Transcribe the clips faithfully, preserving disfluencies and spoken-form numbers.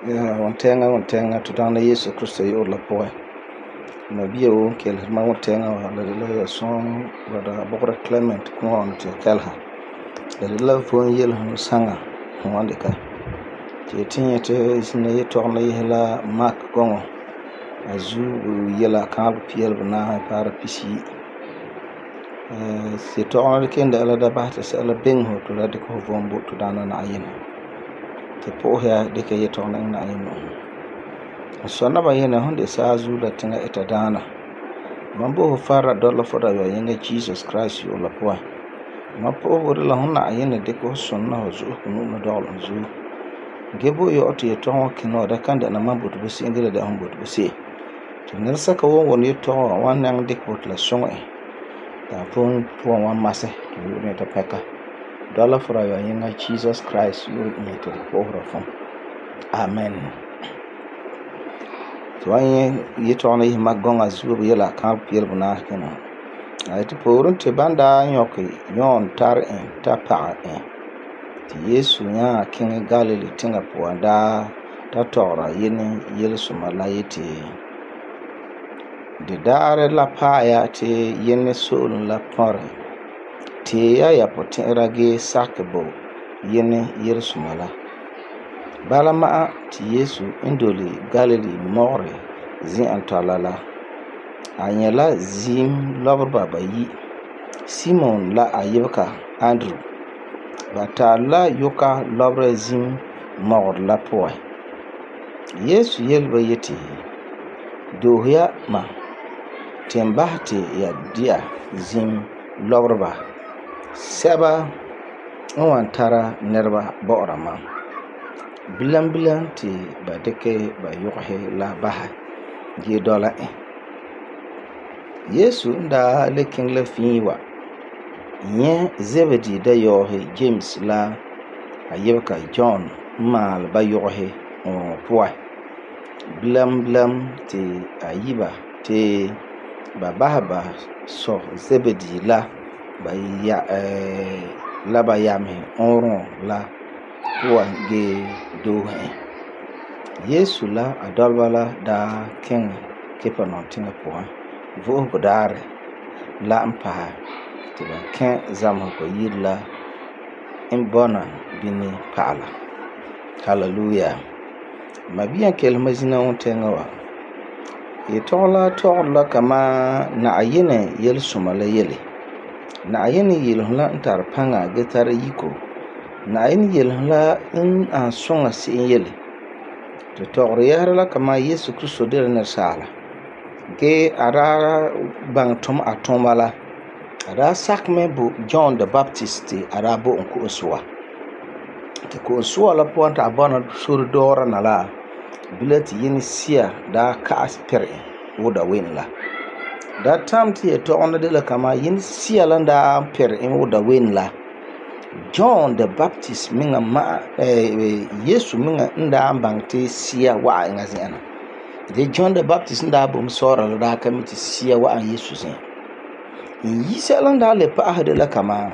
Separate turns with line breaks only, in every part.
Ya wontɛɛŋa wontɛɛŋa to Daana Yesu Krista yu'urɛ la puan. Nabia woo n keleheri mam wontɛɛŋa wa la de la yɛsɔn Brother Bugura Clement Kuan ti kɛleha. La de la vom yelesum saŋa fu wan dika. Ti ti nyɛti zina yetɔgum la yese la Mark gɔŋɔ. A zuo yela kaaleba pia banaahe paara pisiyi. Eh yetɔgum la ken da la da basɛ ti sɛla biŋe fu to la dikɛ fu vom bo to Daana Na'ayinɛ. Ti pu'uhe ya dikɛ yetɔgum la iŋɛ Na'ayinɛ nu'uhen. Sɔ naba yene hon de saazuo la tiŋa ita daana. Man bo fu farra dɔla fu da yɔ yiŋa Jesus Christ yu'urɛ la puan. Man pu'uhego de la hon Na'ayinɛ dikɛ fu sunna fu zu'usegɔ nu'uhen la dɔgɔla n zuo. Ge bo yɔ ti yetɔgum wa kina wa da kan dɛna man bote bo se'em ge la dɛna hon bote bo se'em. Ti nɛresɛka woo wuni yetɔgum wa wan nyaŋɛ dikɛ bo ti la suŋɛ e. Ta pun puan wan masɛ ti yu'urɛ ta pɛka. Dɔla fu da yɔ yiŋa Jesus Christ yu'urɛ n yeti pu'uhera fum. Amen. Ti wan nyɛ yetɔgum la yese Mark gɔŋɔ zuo yela kaaleba pia banaahe kina. A yeti pooren ti ban daa nyɔkɛ John tare en ta pagɛ en. Ti Yesu nyaa kiŋɛ Galilee tiŋa puan daa ta tɔgera yene yelesoma la yeti de daarɛ la paɛ ya ti yene so'olem la pɔrɛ. Tee ya ya potɛ'ɛra ge sakɛ bo yene yelesoma la. Bala ma'a ti Yesu n dole Galilee mɔgɔrɛ zi'an tɔla la. A nyɛ la zim lɔbereba bayi. Simon la a yibega Andrew. Ba tare la yuka lɔberɛ zim mɔgɔrɛ la puan. Yesu yele ba yeti, doohe ya ma ti n basɛ ti ya dia zim lɔbereba sɛba n wan tara nɛreba bɔ'ɔra mam. Bilam bilam ti ba dikɛ ba yɔgehɛ la basɛ ge dɔla e. Yesu n daa le kiŋɛ la fii wa nyɛ Zebedee dayɔɔhe James la a yibega John n maale ba yɔgehɛ ŋɔŋɔ puan. Bilam bilam ti a yiba ti ba basɛ ba sɔ Zebedee la ba ya eh la ba yamehe ɔɔrɔ la puan ge doohe e. Yesu la a dɔleba la daa kiŋɛ Kapernaum tiŋa puan vo'osego daarɛ la n paɛ ti ba kɛ zamesegɔ yire la n bɔna bini pa'ala. Hallelujah. Mabia keleh ma zina wontɛɛŋa wa. Yetɔgum la tɔgɔre la kama Na'ayinɛ yelesoma la yele. Na'ayinɛ yelesum la n tare paŋa ge tara yiko. Na'ayinɛ yelesum la n an suŋa se'em yele. Ti tɔgɔre yɛsera la kama Yesu Krista de la nɛresaala. Ge a daa baŋɛ tum a tuuma la. A daa sakɛ mɛ bo John the Baptist ti a daa bo en ko'om soa. Ti ko'om soa la puan ti a bɔna sore dɔɔra na la. Bila ti yene sia daa ka'as pɛrɛ wo da wen la. Da tam ti yetɔgum la de la kama yene sia la daa pɛrɛ en wo da wen la. John the Baptist minga ma eh, Yesu minga n daa baŋɛ ti sia wa'a eŋa zi'an na. De John the Baptist n daa bom sɔɔra la daa ka mi ti sia wa'a Yesu zi'an. En yi sɛla n daa le pa'asɛ de la kama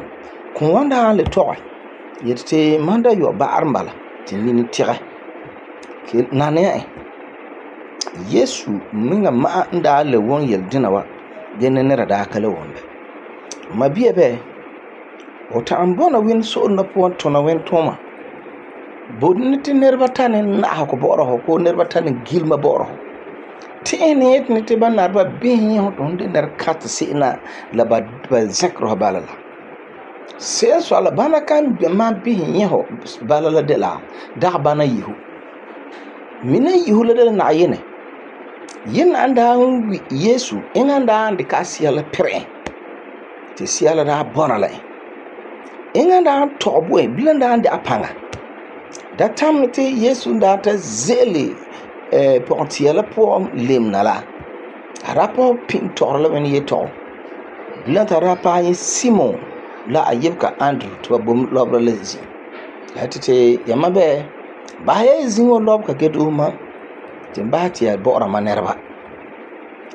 kun wan daa le tɔgɛ yeti ti man da yɔ ba'arim bala ti nini tɛgɛ. Ke naniya e. Yesu minga ma'a n daa le won yel dina wa de ne nera daa ka le won bɛ. Ma bia bɛ o ta'am bɔna wen so'ol na puan tuna wen tuma. Bodne ti neriba tani na'aha ko bɔ'ɔra ho ko neriba tani gilma bɔ'ɔra ho. Ti ene yet ni ti ba narba bihi ho to de ner kat se'na la ba ba zakro ha bala la. Se so ala bana kan be ma bihi ho bala la de la da bana yihu. Mina yihu la de na yene. Yen anda Yesu en anda ande ka sia la pere. Ti sia la da bona la. En anda tobo e bilanda ande apanga. Da tam ti Yesu da ta zele eh pontia la po lemna la. Rapo pin torla wen yeto. Bilanta rapa yin Simon la ayibka Andrew to bom lobra lezi. Hatite yamabe ba ye zingo lob ka gedu ma timbati ya bora manerba.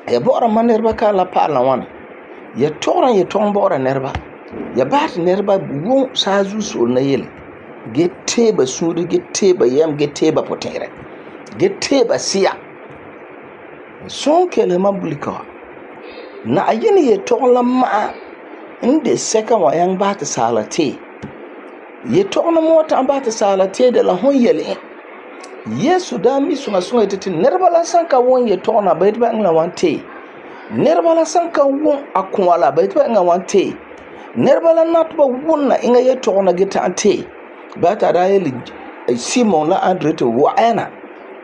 Ya bora manerba ka la pala wana. Ya toran ya ton bora nerba. Ya bat nerba won sazu so na yele. Get teba suri get teba yam get teba potere. ge teba siya son kele ma bulika na yin ye togla ma inde seka wa yang ba ta sala te ye togna mota ba ta sala te de la hon yele Yesu da mi sunga sunga tete nerba la sanka won ye togna ba ba ngla wan te nerba la sanka won akwala ba ba ngla wan te nerba la natba won na inga ye togna gita te ba ta da ye Simon la Andre to wa'ana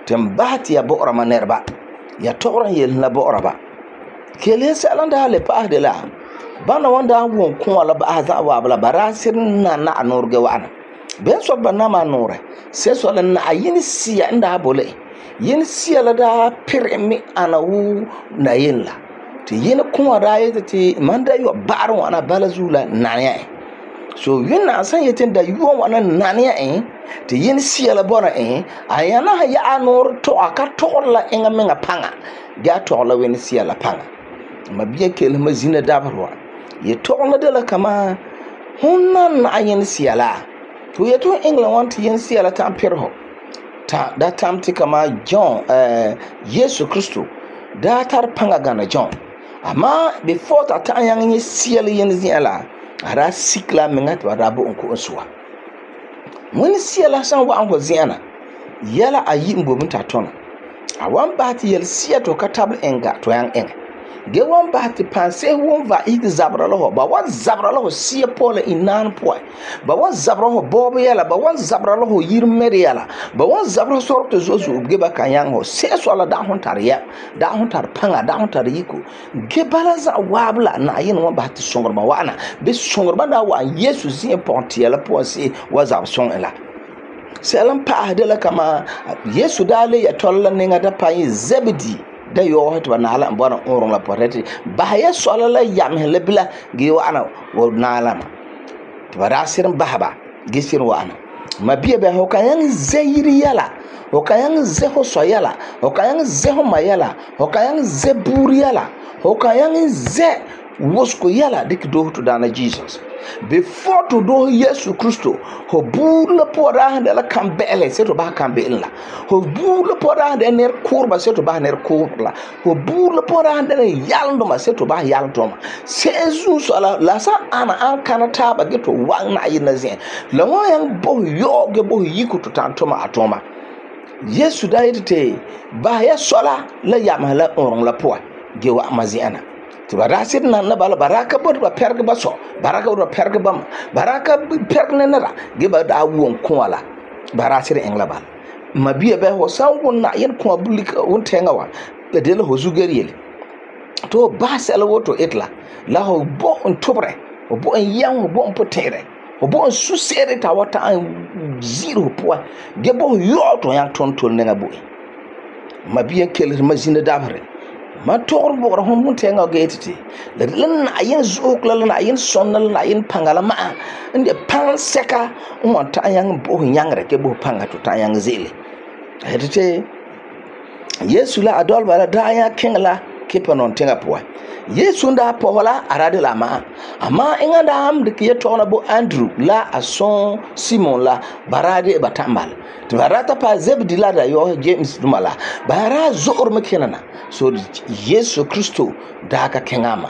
tambati ya bo'ra ma nerba ya togran yel na bo'ra ba kele salan da le pa de la bana wanda won kun wala ba za wa bala barasir na na anorge wa'ana ben so ba na ma nore se so la na yin siya inda bole yin siya la da pirmi ana wu na yin la ti yin kun wada yete ti manda yo baru wana bala zula na ya so yin na san yetin da yo wana na ya eh ti yin siya la bona eh ayana ha ya anor to aka to la inga menga panga ga to la wen siya la panga mabiya kel mazina dabarwa ye to la de la kama hunna na yin siya la to ye to England want yin siya la ta pirho ta da tamti kama John eh Yesu Kristo da tar panga gana John amma before ta ta yang yin siya la yin siya la ara sikla menga to da bu onko onsuwa wani siya la san wa anko ziana yala ayi mbobin ta tona a wan ba ti yel siya to ka tabl enga to yang en ge wan ba ti panse won va ig zabra lo ba wan zabra lo siya pole inan po ba wan zabra ho bobo yala ba wan zabra lo yir mere yala ba wan zabra sorto zozu ge ba kan yang ho se so la da hon tar ya da hon tar panga da hon tar yiko ge balaza wabla na yin wan ba ti songor ba wana be songor ba da wa Yesu zin ponti yala po se wa zab song ela selam pa de la kama Yesu dale ya tolla ninga da pa Zebedi da yo hatu na ala mbona orong la poreti ba ya sola la yam hele bila gi wana wo na ala ma to bara sirin bahaba gi sirin wana mabiya ba ho kayan zairi yala ho kayan zeho so yala ho kayan zeho mayala ho kayan zeburi yala ho kayan ze wosko yala dik do to dana Jesus before to do Yesu Kristo ho bula pora hande la kambele se to ba kambele la ho bula pora hande ner kurba se to ba ner kurla ho bula pora hande yalndo ma se to ba yalndo ma se Jesus ala la sa ana an kanata ba geto wan na yin zen la wa yang bo yo ge bo yiku to tantoma atoma Yesu da yite ba ya sola la yamala orong la po ge wa maziana tiba rasir na na bala baraka bod ba perga baso baraka bod ba perga bam baraka perga na ra ge ba da won kwala barasir engla bal mabiya ba ho san won na yen ko bulik won tenga wa be de la ho zugeriel to ba sel woto etla la ho bo on tobre o bo en yan bo on potere o bo on susere ta wata an zero po ge bo yo to yan ton tol nga bo mabiya kel mazina dabre ma tor bo ro mun tenga getiti la lan ayin zuk la lan ayin sonnal na ayin pangala ma inde pan seka on ta yang bo nyangre ke bo panga to ta yang zele hedite Yesu la adol bala da ya kengla ke panon tenga po Yesu nda po wala arade la ma ama inga da am de ke to na bo Andrew la ason Simon la barade batambal to barata pa Zebedi la da yo James dumala bara zor mekenana so Yesu Kristo da ka kengama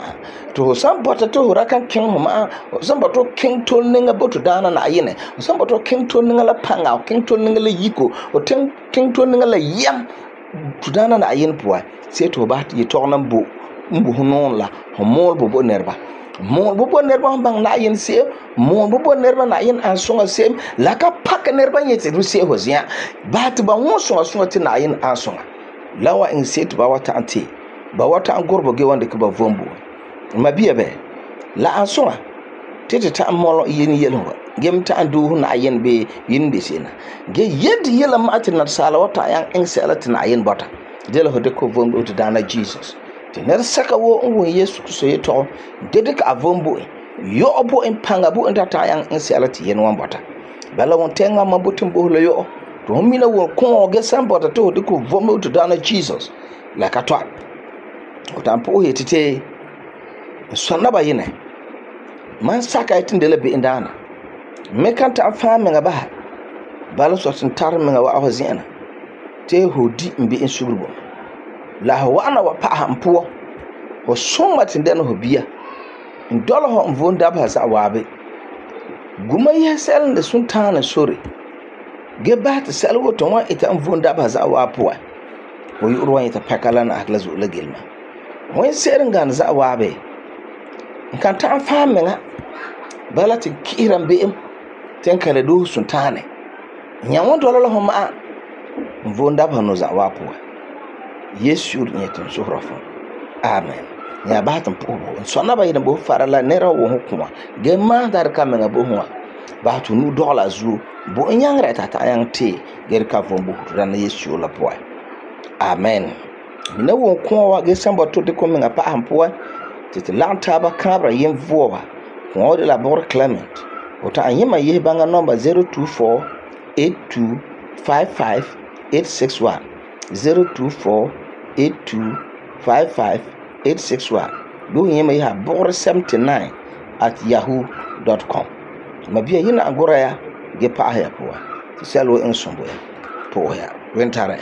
to sambota to rakan king homa samboto king tol ninga boto dana na yene samboto king tol ninga la panga king tol ninga la yiko o king king tol ninga la yam tudana na yin puwa sai to ba ti to nan bo mbu honon la homol bo bo nerba mo bo bo nerba bang na yin se mo bo bo nerba na yin an songa se la ka pak nerba yete ru se hozia ba ti ba won songa songa ti na yin an songa lawa in se to ba wata anti ba wata an gorbo ge wanda ke ba vombo mabiya be la an songa tete ta molo yin yelwa gem ta andu na yin be yin be sena ge yed yela matin na sala wata yan in selati na yin bota dela ho de ko vombo to dana Jesus tener saka wo won Yesu so yeto dedik avombo yo obo en panga bo en ta yan in selati yen wan bota bala won tenga mabutin bo lo yo to mina won ko ge sambota to de ko vombo to dana Jesus la katwa o tampo yetete sonna ba yine man saka itin de lebe indana me kanta afame nga ba bala so tin tar me nga wa awazina te ho di n be'em suguru bo la ho wa'ana wa pa'aha n puwa ho sõma te dɛna ho bia n dɔla ho n vom dabeha za'a waabe guma yɛha sɛla n de suntaana sore ge basɛ te sɛla woo ton wan ita n vom dabeha za'a waa puan ho yu'urɛ wan ita pɛka la na la zo'e la gelema wen se'ere n gane za'a waabe n kan ta'an fãa meŋa bala te kihira n be'em te n kala doohe suntaane nya wan dɔla la ho ma'a n vom dabeha no za'a waa puan Yesu n yɛ tun sohora fo amen nya ba tan po bo sona ba yidin bo fara la nera wo ho kuma ge ma dar ka menga bo ho ba tu nu dola zu bo nyangre ta ta yang te ge ka fo bo tu na Yesu la po amen mina wo ko wa ge samba to de ko menga pa am po te te lan ta ba kabra yem vowa ko de la bor Clement o ta anyima ye banga number zero two four eight two five five eight six one zero two four eight two five five eight six one do yema ya bor seventy-nine at yahoo dot com mabia yina agora ya ge pa ya po ti selo en sombo ya po ya wentara